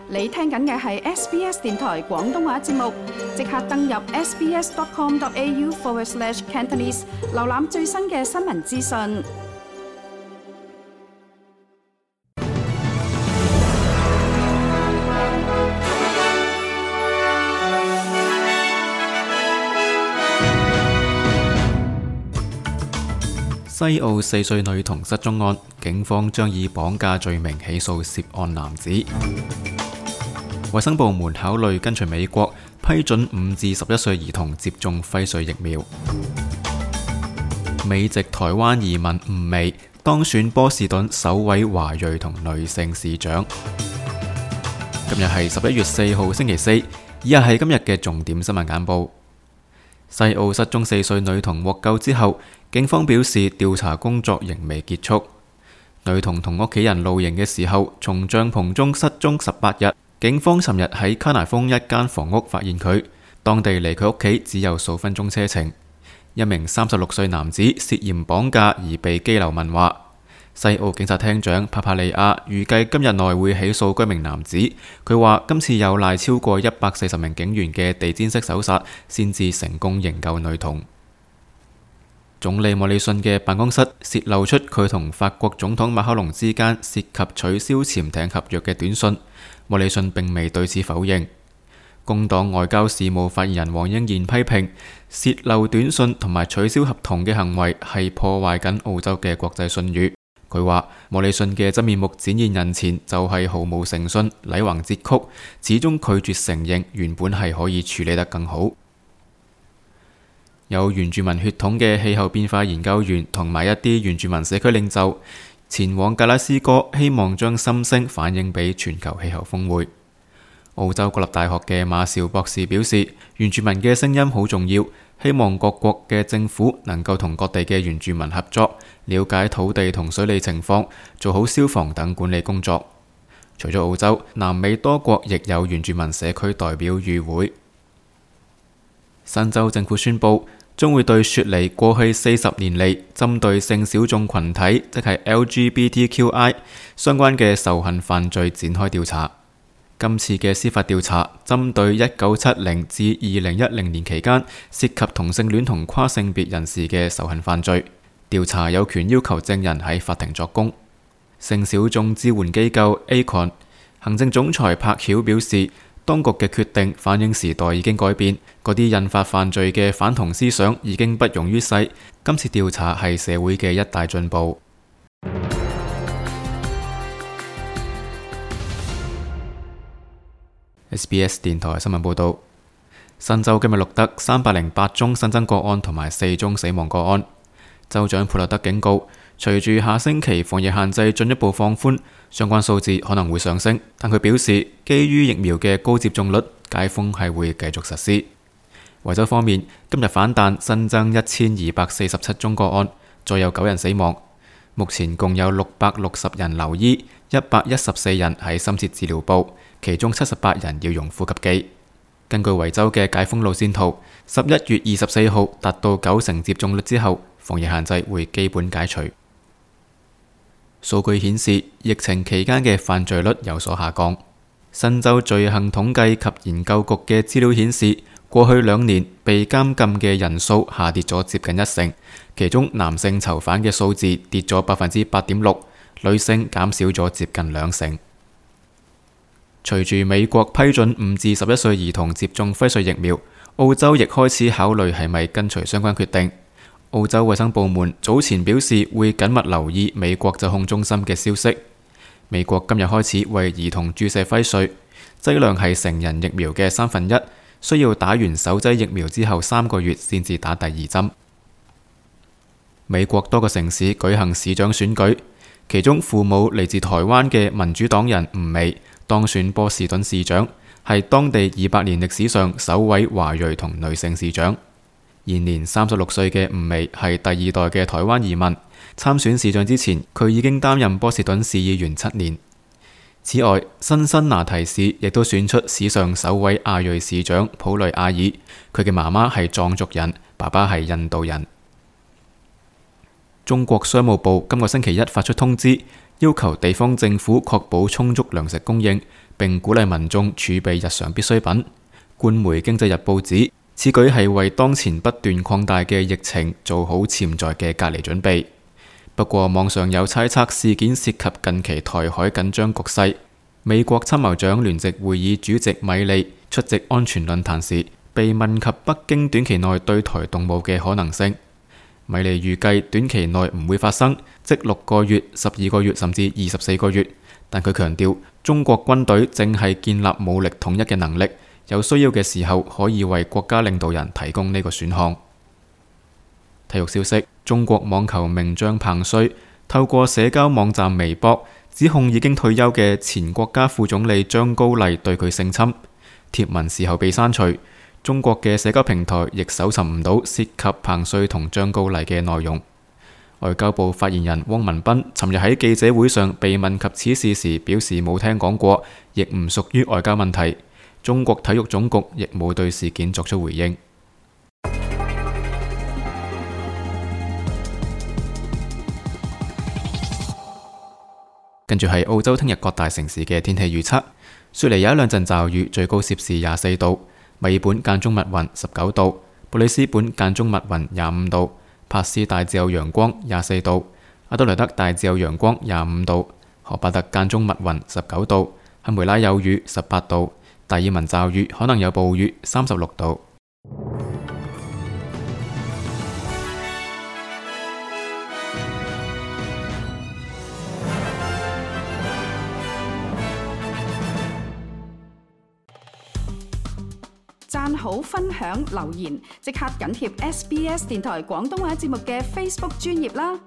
你聽緊嘅係 SBS 電台廣東話節目，即刻登入 sbs.com.au/Cantonese 瀏覽最新嘅新聞資訊。西澳4歲女童失蹤案，警方將以綁架罪名起訴涉案男子。衛生部門考慮跟隨美國批准5至11歲兒童接種輝瑞疫苗。美籍台灣移民吳薇當選波士頓首位華裔同女性市長。今日係11月4號星期四，以下係今日嘅重點新聞眼報。西澳失蹤4歲女童獲救之後，警方表示調查工作仍未結束。女童同屋企人露營嘅時候，從帳篷中失蹤18日。警方尋日喺卡拿豐一間房屋發現佢，當地離佢屋企只有數分鐘車程。一名36歲男子涉嫌綁架而被羈留問話。西澳警察廳長帕帕利亞預計今日內會起訴該名男子。佢話今次有賴超過140名警員嘅地毯式搜查，先至成功營救女童。總理莫里遜嘅辦公室泄露出佢同法國總統馬克龍之間涉及取消潛艇合約嘅短信。莫里遜並未對此否認。工黨外交事務發言人黃英賢批評泄漏短信同埋取消合同嘅行為係破壞緊澳洲嘅國際信譽。佢話莫里遜嘅真面目展現人前就係毫無誠信、禮橫節曲，始終拒絕承認原本係可以處理得更好。有原住民血統嘅氣候變化研究員同埋一啲原住民社區領袖前往格拉斯哥，希望將心聲反映俾全球氣候峰會。澳洲國立大學嘅馬紹博士表示，原住民嘅聲音好重要，希望各國嘅政府能夠同各地嘅原住民合作，了解土地同水利情況，做好消防等管理工作。除咗澳洲，南美多國亦有原住民社區代表與會。新州政府宣布將會對雪梨過去40年嚟針對性小眾群體，即係 LGBTQI 相關嘅仇恨犯罪展開調查。今次嘅司法調查針對1970至2010年期間涉及同性戀同跨性別人士嘅仇恨犯罪。調查有權要求證人喺法庭作供。性小眾支援機構 ACON 行政總裁柏曉表示，當局嘅決定反映時代已經改變，嗰啲引發犯罪嘅反同思想已經不容於世。今次調查係社會嘅一大進步。SBS 電台新聞報道，新州今日錄得308宗新增個案同埋4宗死亡個案。州長普勒德警告，隨住下星期防疫限制進一步放寬，相關數字可能會上升，但佢表示，基於疫苗嘅高接種率，解封係會繼續實施。維州方面，今日反彈新增1247宗個案，再有9人死亡。目前共有660人留醫，114人喺深切治療部，其中78人要用呼吸機。根據維州嘅解封路線圖，11月24號達到90%接種率之後，防疫限制會基本解除。數據顯示，疫情期間嘅犯罪率有所下降。新州罪行統計及研究局嘅資料顯示，過去2年被監禁嘅人數下跌咗接近1成，其中男性囚犯嘅數字跌咗8.6%，女性減少咗接近2成。隨住美國批准5至11歲兒童接種輝瑞疫苗，澳洲亦開始考慮係咪跟隨相關決定。澳洲衛生部門早前表示會緊密留意美國疾控中心嘅消息。美國今日開始為兒童注射輝瑞，劑量係成人疫苗嘅1/3，需要打完首劑疫苗之後3個月先至打第2針。美國多個城市舉行市長選舉，其中父母嚟自台灣嘅民主黨人吳薇當選波士頓市長，係當地200年歷史上首位華裔同女性市長。現年36歲嘅吳薇係第2代嘅台灣移民，參選市長之前，佢已經擔任波士頓市議員7年。此外，辛辛那提市亦都選出史上首位亞裔市長普雷亞爾，佢嘅媽媽係藏族人，爸爸係印度人。中國商務部今個星期1發出通知，要求地方政府確保充足糧食供應，並鼓勵民眾儲備日常必需品。官媒《經濟日報》指，此舉係為當前不斷擴大嘅疫情做好潛在嘅隔離準備。不過，網上有猜測事件涉及近期台海緊張局勢。美國參謀長聯席會議主席米利出席安全論壇時，被問及北京短期內對台動武嘅可能性。米利預計短期內唔會發生，即6個月、12個月甚至24個月。但佢強調，中國軍隊正係建立武力統一嘅能力，有需要嘅時候可以為國家領導人提供呢個選項。體育消息：中國網球名將彭帥透過社交網站微博指控已經退休嘅前國家副總理張高麗對佢性侵，貼文事後被刪除。中國嘅社交平台亦搜尋唔到涉及彭帥同張高麗嘅內容。外交部發言人汪文斌尋日喺記者會上被問及此事時，表示冇聽講過，亦唔屬於外交問題。中國體育總局亦冇對事件作出回應。跟住係澳洲聽日各大城市嘅天氣預測：雪梨有一兩陣驟雨，最高攝氏24度；墨爾本間中密雲19度；布里斯本間中密雲25度；帕斯大致有陽光24度；阿德萊德大致有陽光25度；荷巴特間中密雲19度；堪培拉有雨18度；達爾文驟雨可能有暴雨36度。讚好、分享、留言，即刻緊貼SBS 電台廣東話節目嘅 Facebook 專頁啦！